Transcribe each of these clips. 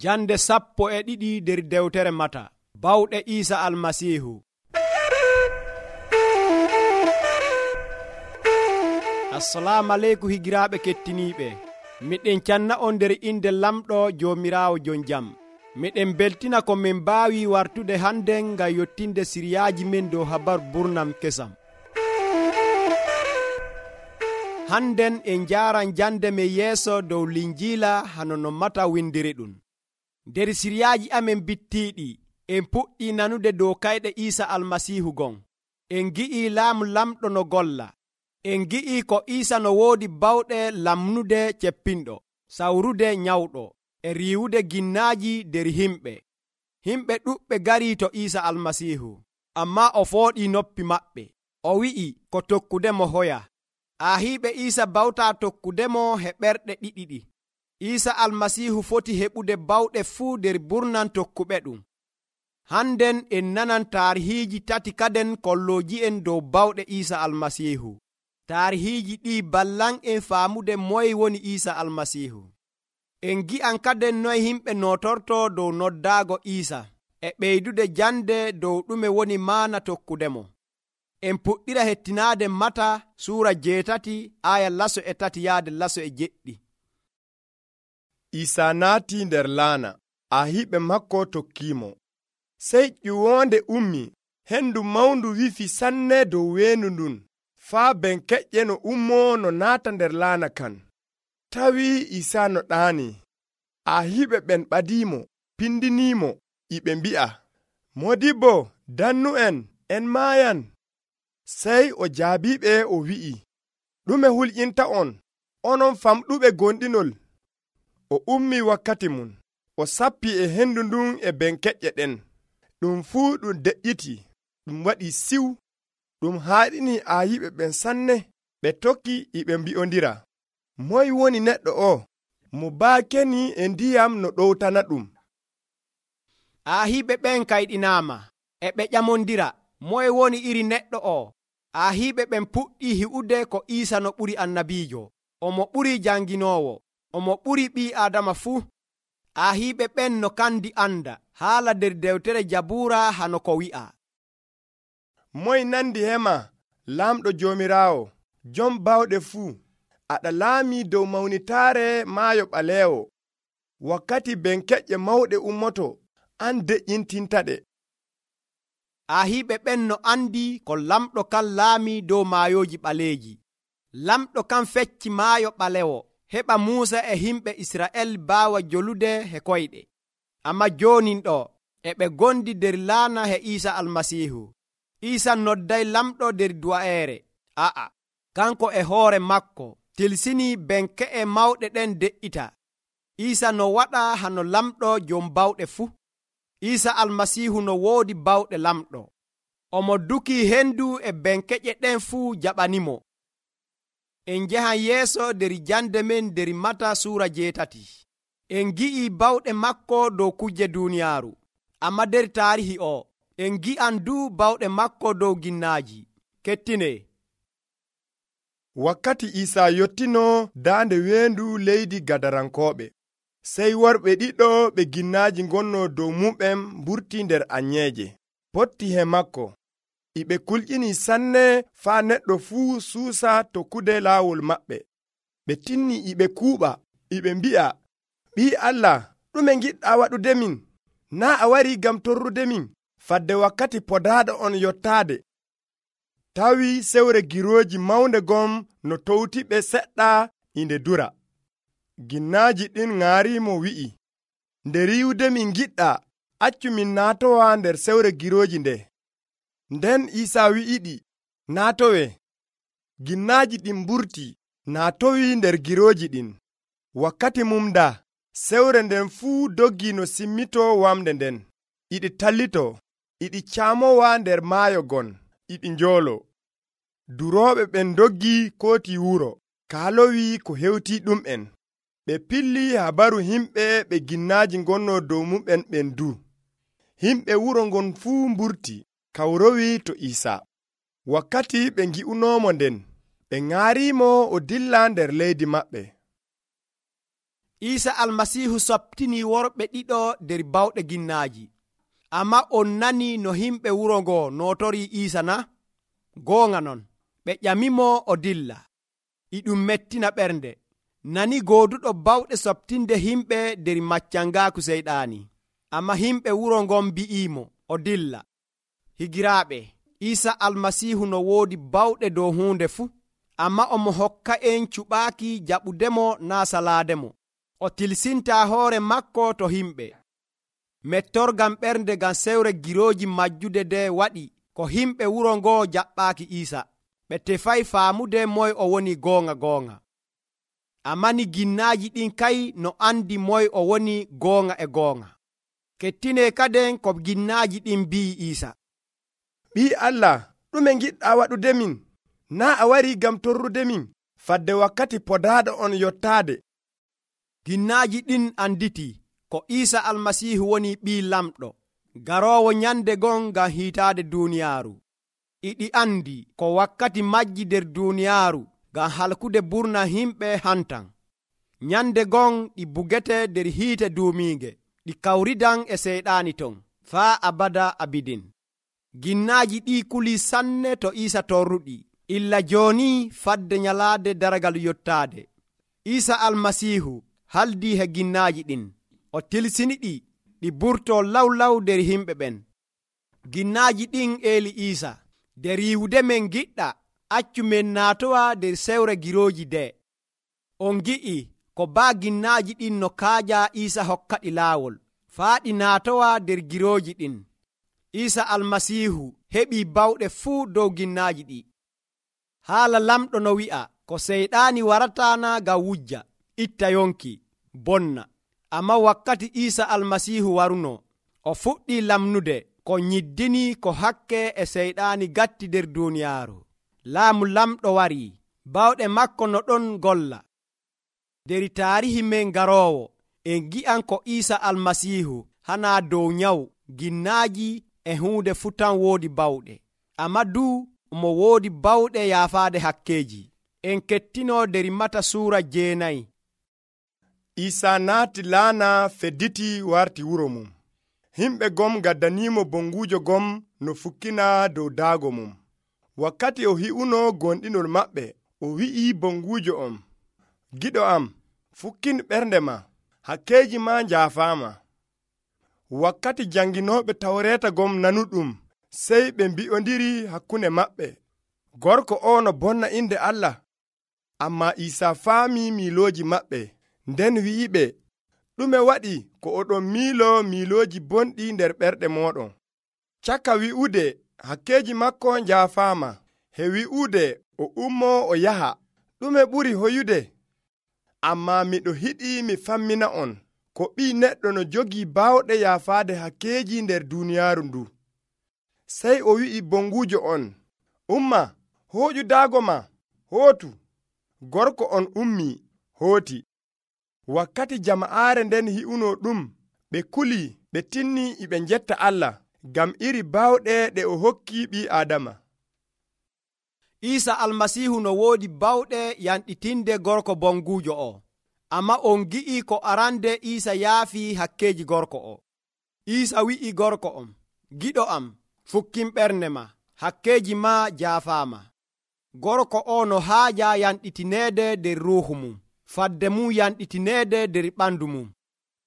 Jande 12 nder dewtere Mata. Bawɗe Isa Almasihu. Assalamu aleykum higiraaɓe kettiniiɓe. Miɗen canna on nder inde lamɗo Joomiraawo jon jam. Miɗen beltina ko min mbaawi wartude hannden ngam yottinde siriyaaji men dow habaru burnam kesam. Hannden en njaaran jande men yeeso dow Linjiila hano no Mata windiri ɗum. Nder siriyaaji amen bittiiɗi en puɗɗi nanude dow kayɗe Isa Almasihu gon. En gi'i laamu lamɗo no golla. En gi'i ko Isa no woodi bawɗe lamnude ceppinɗo, sawrude nyawɗo, e riiwude ginnaaji nder himɓe. Himɓe ɗuɓɓe garii to Isa Almasihu, ammaa o fooɗii noppi maɓɓe. O wi'i ko tokkudemo hoya. Ahiiɓe Isa bawtaa tokkudemo he ɓerɗe ɗiɗiɗi. Isa Almasihu foti heɓude bawɗe fuu nder burnan tokkuɓe ɗum. Hannden en nanan taarihiiji tati kaden kollooji'en dow bawɗe Isa Almasihu. Taarihiiji ɗi ballan en faamude moye woni Isa Almasihu. En gi'an kaden noye himɓe nootorto dow noddaago Isa e ɓeydude jande dow ɗume woni maana tokkudemo. En puɗɗira hettinaade Mata suura 8 aya 3 yaade 7. Isa naati nder laana, ahiiɓe makko tokkiimo. Sey ƴiwonde ummi, hendu mawndu wifi sanne dow weendu ndun, faa benkeƴƴe no ummoo no naata nder laana kan. Tawi Isa no ɗaani, ahiiɓe ɓen ɓadiimo, pindiniimo, iɓe mbi'a, Modibbo, dannu en maayan. Sey o jaabiɓe o wi'i, ɗume hulƴinta onon famɗuɓe gonɗinol? O ummi wakkati mum, o sappi e hendu ndun e benkeƴƴe ɗen. Ɗum fuu ɗum deƴƴiti, ɗum waɗi siw. Ɗum haaɗini ayiɓe ɓen sanne. Ɓe tokki iɓe mbi'ondira, moye woni neɗɗo o? Mo baakeni e ndiyam no ɗowtana ɗum. Ahiiɓe ɓen kayɗinaama, e ɓe ƴamondira, moye woni iri neɗɗo o? Ahiiɓe ɓen puɗɗii hi'ude ko Isa no ɓuri annabiijo, omo ɓuri janginoowo, omo ɓuri ɓii Aadama fuu. Ahiiɓe ɓen no kandi anda haala nder dewtere Jabuura hano ko wi'a, moye nandi hema, laamɗo Joomiraawo, jom bawɗe fuu, aɗa laamii dow mawnitaare maayo ɓaleewo. Wakkati benkeƴƴe mawɗe ummoto, an deƴƴintintaɗe. Ahiiɓe ɓen no andi ko lamɗo kan laamii dow maayooji ɓaleeji. Lamɗo kan fecci maayo ɓalewo, heɓa Muusa e himɓe Isra'el baawa jolude he koyɗe. Ammaa joonin ɗo, e ɓe gondi nder laana he Isa Almasihu. Isa nodday lamɗo nder du'aere. Kanko e hoore makko tilsinii benke'e mawɗe ɗen de'ita. Isa no waɗa hano lamɗo jom bawɗe fuu. Isa Almasihu no woodi bawɗe lamɗo. Omo dukii hendu e benkeƴe ɗen fuu jaɓanimo. En njahan yeeso nder jande men nder Mata suura 8. En gi'i bawɗe makko dow kujje duuniyaaru. Amma nder taarihi o, en gi'an du bawɗe makko dow ginnaaji. Kettine. Wakkati Isa yottino daande weendu leydi Gadarankooɓe, sey worɓe ɗiɗo ɓe ginnaaji ngonno dow muɓen mburti nder anyeeje, potti he makko. Iɓe kulƴini sanne faa neɗɗo fuu suusa tokkude laawol maɓɓe. Ɓe tinni iɓe kuuɓa, iɓe mbi'a, Ɓii Allah, ɗume ngiɗɗaa waɗude min? Naa a warii ngam torrude min, fadde wakkati podaaɗo on yottaade. Tawi sewre girooji mawnde gon no towti ɓe seɗɗa inde dura. Ginnaaji ɗin ŋaarimo wi'i, nde riiwude min ngiɗɗaa, accu min naatowa nder sewre girooji nde. Nden Isa wi'iɗi, naatowe. Ginnaaji ɗin mburti, naatowi nder girooji ɗin. Wakkati mum da, sewre nden fuu doggi no simmito wamde nden. Iɗi tallito, iɗi caamowa nder maayo gon, iɗi njoolo. Durooɓe ɓen doggi kooti wuro, kaalowi ko hewti ɗum'en. Ɓe pilli habaru himɓe ɓe ginnaaji ngonno dow muɓen ɓen du. Himɓe wuro ngon fuu mburti, kawrowi to Isa. Wakkati ɓe ngi'unoomo nden, ɓe ŋaarimo o dilla nder leydi maɓɓe. Iisa almasiihu soptini worɓe ɗiɗo nder bawɗe ginnaaji. Amma on nani no himɓe wuro ngo nootori Iisa na? Goonga non, ɓe ƴamimo o dilla. E ɗum mettina ɓernde. Nani gooduɗo bawɗe soptinde himɓe nder maccangaaku seyɗaani. Amma himɓe wuro ngon bi'iimo o dilla. Higiraaɓe, Iisa almasiihu no woodi bawɗe dow huunde fuu, amma omo hokka en cuɓaaki jaɓudemo naa salaademo. O tilsintaa hoore makko to himɓe. Mettorgam ɓernde ngam sewre girooji majjude nde waɗi ko himɓe wuro ngo jaɓɓaaki Iisa. Ɓe tefay faamude moy o woni goonga. Amma ni ginnaaji ɗin kay no andi moy o woni goonga. Kettine kaden ko ginnaaji ɗin mbi'i Iisa. Ɓii Allah, ɗume giɗɗa waɗude min? Naa a wari gam torrude min fadde wakkati podaaɗo on yottaade. Ginnaaji ɗin anditi ko Iisa almasiihu woni ɓii lamɗo garoowo nyande gon ngam hiitaade duuniyaaru. Iɗi andi ko wakkati majji nder duuniyaaru ngam halkude burna himɓe hantan. Nyande gon ɗi bugete nder hiite duumiige, ɗi kawridan e seyɗaani ton faa abada abidin. Ginnaaji ɗi kuli sanne to Iisa torruɗi, illa jooni fadde nyalaade daragal yottaade. Iisa almasiihu haldi he ginnaaji ɗin, o tilsiniɗi ɗi burto lawlaw nder himɓe ɓen. Ginnaaji ɗin eeli Iisa, nder yiwude men giɗɗa, accu men naatowa nder sewre girooji de. On gi'i ko baa ginnaaji ɗin no kaaja Iisa hokkaɗi laawol, faa ɗi naatowa nder girooji ɗin. Iisa almasiihu heɓii bawɗe fuu dow ginnaaji ɗi. Haala lamɗo no wi'a ko seyɗaani warataana ngam wujja, itta yonki, bonna. Amma wakkati Iisa almasiihu waruno, o fuɗɗii lamnude ko nyiddini ko hakke e seyɗaani gatti nder duuniyaaru. Laamu lamɗo warii, bawɗe makko no ɗon golla. Nder taarihi men garoowo, en gi'an ko Iisa almasiihu hanaa dow nyawu, ginnaaji e huunde fuu tan woodi bawɗe. Amma duu mo woodi bawɗe yaafaade hakkeeji. En kettino nder Mata suura 9. Iisa naati laana fedditi warti wuro mum. Himɓe gom gaddanimo bonguujo gom no fukkina dow daago mum. Wakkati o hi'uno gonɗinol maɓɓe, o wi'i bonguujo on, giɗo am, fukkin ɓernde ma, hakkeeji ma njaafaama. Wakkati janginooɓe tawreeta gom nanuɗum, sey ɓe mbi'ondiri hakkunde maɓɓe, gorko o no bonna inde Allah. Amma Iisa faami miilooji maɓɓe, nden wi'iɓe, ɗume waɗi ko oɗon miilooji bonɗi nder ɓerɗe mooɗon? Caka wi'ude hakkeeji makko njaafaama, he wi'ude o ummo o yaha, ɗume ɓuri hoyude? Amma miɗo hiɗi mi fammina on, ko ɓii neɗɗo no jogii baawɗe yaafaade hakkeeji nder duuniyaaru ndu. Sey o wi'i bonguujo on, umma, hooƴu daago ma, hootu. Gorko on ummii, hooti. Wakkati jama'aare nden hi'uno ɗum, ɓe kuli, ɓe tinni ɓe njetta Allah ngam iri baawɗe ɗe o hokki ɓii Aadama. Iisa almasiihu no woodi bawɗe yanɗitinde gorko bonguujo o. Amma on gi'i ko arande Iisa yaafi hakkeeji gorko o. Iisa wi'i gorko on, giɗo am, fukkin ɓernde ma, hakkeeji ma jaafaama. Gorko o no haaja yanɗitineede nder ruuhu mum, fadde mum yanɗitineede nder ɓandu mum.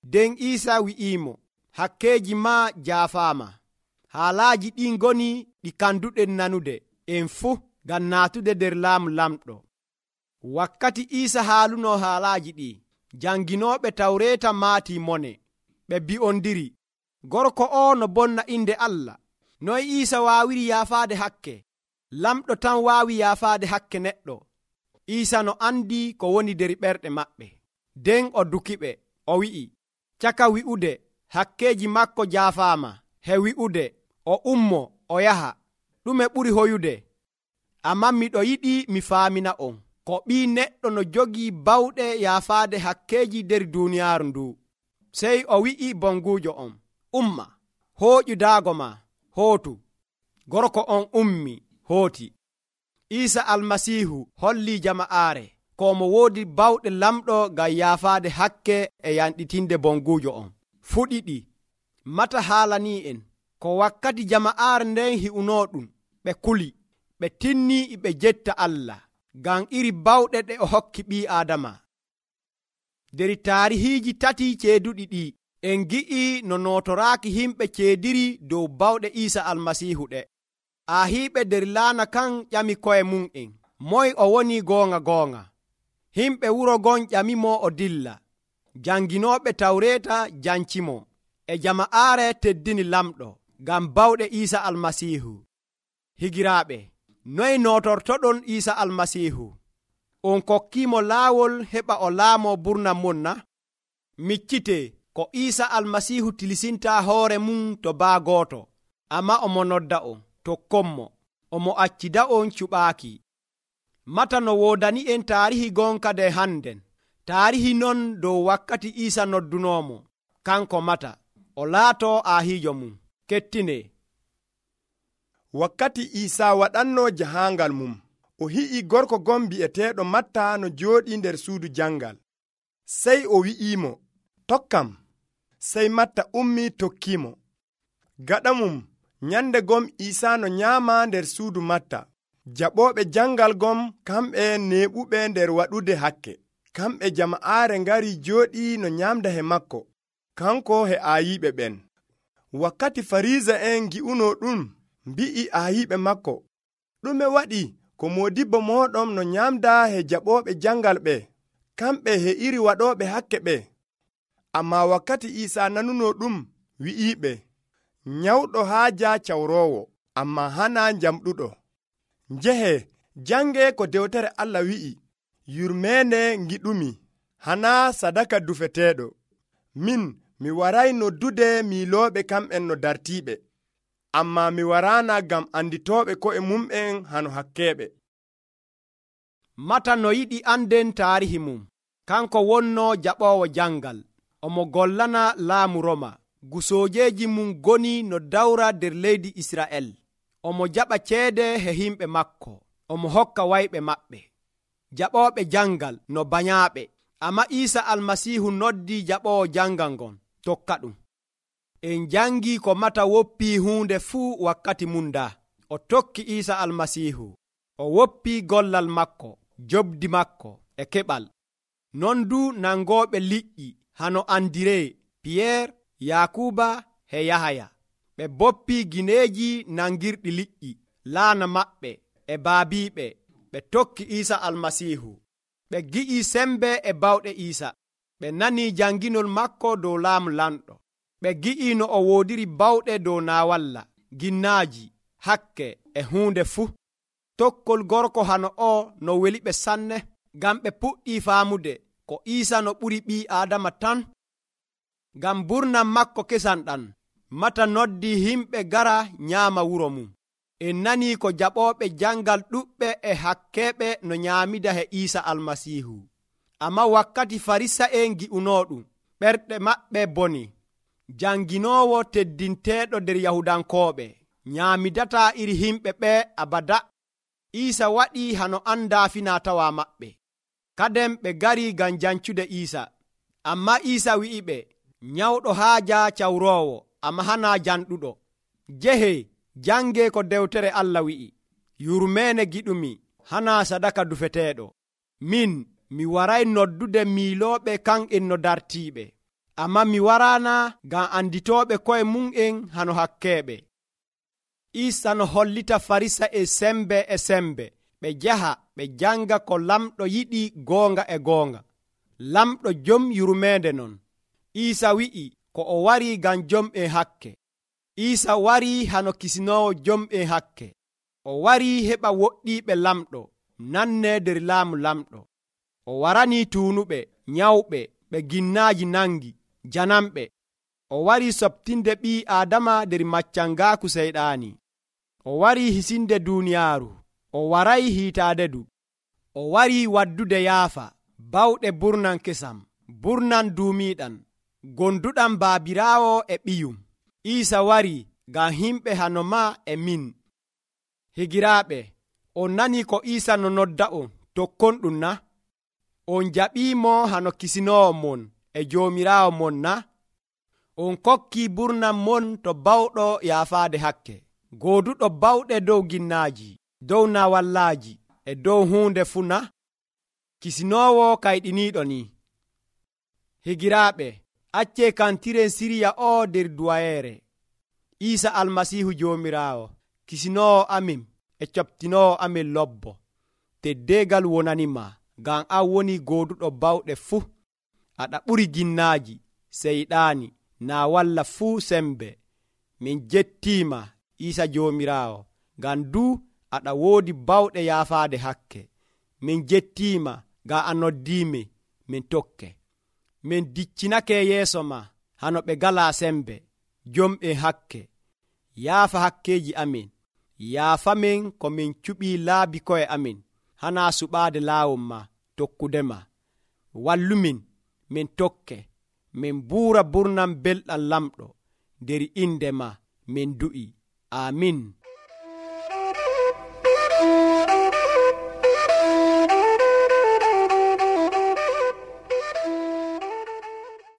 Nden Iisa wi'iimo, hakkeeji ma jaafaama. Haalaaji ɗin ngoni ɗi kanduɗen nanude en fuu ngam naatude nder laamu lamɗo. Wakkati Iisa haaluno haalaaji ɗi, janginooɓe tawreeta maatii mone. Ɓe bi'ondiri, gorko o no bonna inde Allah. Noy Iisa waawiri yaafaade hakke? Lamɗo tan waawi yaafaade hakke neɗɗo. Iisa no andi ko woni nder ɓerɗe maɓɓe. Nden o dukiɓe, o wi'i, caka wi'ude hakkeeji makko jaafaama, he wi'ude o ummo o yaha, ɗume ɓuri hoyude? Amma miɗo yiɗi mi faamina on, ko ɓii neɗɗo no jogii bawɗe yaafaade hakkeeji nder duuniyaaru ndu. Sey o wi'i bonguujo on, umma, hooƴu daago ma, hootu. Gorko on ummi, hooti. Iisa almasiihu holli jama'aare ko mo woodi bawɗe lamɗo ngam yaafaade hakke e yanɗitinde bonguujo on. Fuu ɗiɗi mata haalanii en ko wakkati jama'aare nden hi'unooɗum ɓe kuli, ɓe tinnii ɓe jetta Allah ngam iri bawɗe ɗe o hokki ɓii Aadama. Der taarihiiji tati ceeduɗi ɗi en gi'i no nootoraaki himɓe ceediri dow bawɗe Iisa Almasiihu ɗe. Aahiiɓe der laana kan ƴami ko'e mum'en, moye o woni goonga. Himɓe wuro gon ƴamimo o dilla. Janginooɓe Tawreeta jancimo, e jama'aare teddini lamɗo ngam bawɗe Iisa Almasiihu. Higiraaɓe, noye nootortoɗon Iisa Almasiihu? On kokkiimo laawol heɓa o laamoo burnan mon na? Miccitee ko Iisa Almasiihu tilisintaa hoore mum to baa gooto, amma omo nodda on tokkonmo, omo accida on cuɓaaki. Mata no woodani en taarihi gonka de hannden, taarihi non dow wakkati Iisa noddunoomo, kanko mata o laatoo aahiijo mum. Kettinee. Wakkati Iisa waɗannoo jahaangal mum, o hi'i gorko gon bi'eteeɗo Matta no jooɗii nder suudu jangal. Sey o wi'iimo, tokkam. Sey Matta ummii tokkiimo. Gaɗa mum nyande gom Iisa no nyaama nder suudu Matta. Jaɓooɓe jangal gom kamɓe neeɓuɓe nder waɗude hakke. Kamɓe jama'aare ngari jooɗii no nyaamda he makko, kanko he aayiiɓe ɓen. Wakkati Fariisa'en ngi'unoo ɗum, mbi'i aayiiɓe makko, ɗume waɗi ko moodibbo mooɗon no nyaamda he jaɓooɓe jangal ɓe, kamɓe he iri waɗooɓe hakke ɓe? Ammaa wakkati Iisa nanunoo ɗum, wi'iiɓe, nyawɗo haaja cawroowo, ammaa hanaa njamɗuɗo. Njehe, jange ko dewtere Allah wi'i, yurmeende ngiɗumi, hanaa sadaka dufeteeɗo. Min, mi waray noddude miilooɓe kamɓen no dartiiɓe, ammaa mi waraana ngam anditooɓe ko'e mum'en hano hakkeeɓe. Mata no yiɗi anden taarihi mum, kanko wonnoo jaɓoowo jangal, omo gollana laamu Roma. Gusoojeeji mum goni no dawra der leydi Isra'el. Omo jaɓa ceede he himɓe makko, omo hokka wayɓe maɓɓe. Jaɓooɓe jangal no banyaaɓe, amma Iisa Almasiihu noddii jaɓoowo jangal ngon tokka ɗum. En jangii ko Mata woppii huunde fuu wakkati mum daa. O tokki Iisa Almasiihu, o woppii gollal makko, jobdi makko e keɓal. Non du nangooɓe liƴƴi hano andiree Piyeer, Yaakuba he Yahaya. Ɓe boppii gineeji nangirɗi liƴƴi laana maɓɓe e baabiiɓe. Ɓe tokki Iisa Almasiihu. Ɓe gi'ii sembe e bawɗe Iisa. Ɓe nanii janginol makko dow laamu lamɗo. Ɓe gi'ii no o woodiri bawɗe dow naawalla, ginnaaji, hakke e huunde fuu. Tokkol gorko hano o no weli ɓe sanne, ngam ɓe puɗɗii faamude ko Iisa no ɓuri ɓii Aadama tan. Ngam burnan makko kesan ɗan, Mata noddii himɓe gara nyaama wuro mum. En nanii ko jaɓooɓe jangal ɗuɓɓe e hakkeeɓe no nyaamida he Iisa Almasiihu. Amma wakkati Farisa'en ngi'unoo ɗum, ɓerɗe maɓɓe boni. Janginoowo teddinteeɗo der Yahudankooɓe nyaamidataa iri himɓe ɓe abada. Iisa waɗii hano andaa finaa-tawaa maɓɓe. Kadem ɓe garii ngam jancude Iisa. Amma Iisa wi'i ɓe, nyawɗo haaja cawroowo, amma hanaa janɗuɗo. Jehe, jange ko dewtere Allah wi'i, yurmeene giɗumi, hanaa sadaka dufeteeɗo. Min, mi waray noddude miilooɓe kan'en no dartiiɓe, amma mi waraana ngam anditooɓe ko'e mum'en hano hakkeeɓe. Iisa no hollita Farisa'en sembe, ɓe jaha ɓe janga ko lamɗo yiɗi goonga e goonga. Lamɗo jom yurmeende non. Iisa wi'i ko o warii ngam jom'en hakke. Iisa warii hano kisinoowo jom'en hakke. O warii heɓa woɗɗiiɓe lamɗo nanne der laamu lamɗo. O waranii tuunuɓe, nyawɓe, ɓe ginnaaji nangi, janamɓe. O warii soɓtinde ɓii Aadama der maccangaaku seyɗaani. O warii hisinde duuniyaaru. O waray hiitaade du. O warii waddude yaafa, bawɗe burnan kesam, burnan duumiiɗan, gonduɗam baabiraawo e ɓiyum. Iisa warii ngam himɓe hano maa e min. Higiraaɓe, on nanii ko Iisa no nodda on tokkon ɗum na? On jaɓiimo hano kisinoowo mon e Joomiraawo mon na? On kokki burnam mon to bawɗo yaafaade hakke, gooduɗo bawɗe dow ginnaaji, dow nawallaaji e dow huunde fuu na? Kisinoowo kayɗiniiɗo ni. Higiraaɓe, accee kantiren siriya o nder duwayeere. Iisa Almasiihu Joomiraawo, kisinoowo amin e coɓtinoowo amin lobbo, teddeegal wonanima, ngam an woni gooduɗo bawɗe fuu. Aɗa ɓuri ginnaaji, seyɗaani, naa walla fuu sembe. Min jettiima Iisa Joomiraawo, ngam duu aɗa woodi bawɗe yaafaade hakke. Min jettiima ngam a noddiimi min tokke. Min diccinake yeeso ma hano ɓe galaa sembe, jomɓe hakke. Yaafa hakkeeji amin, yaafamin ko min cuɓii laabi ko'e amin, hanaa suɓaade laawol ma tokkudema. Wallumin min tokke, min buura burnam belɗam lamɗo, nder inde ma min du'i. Amin.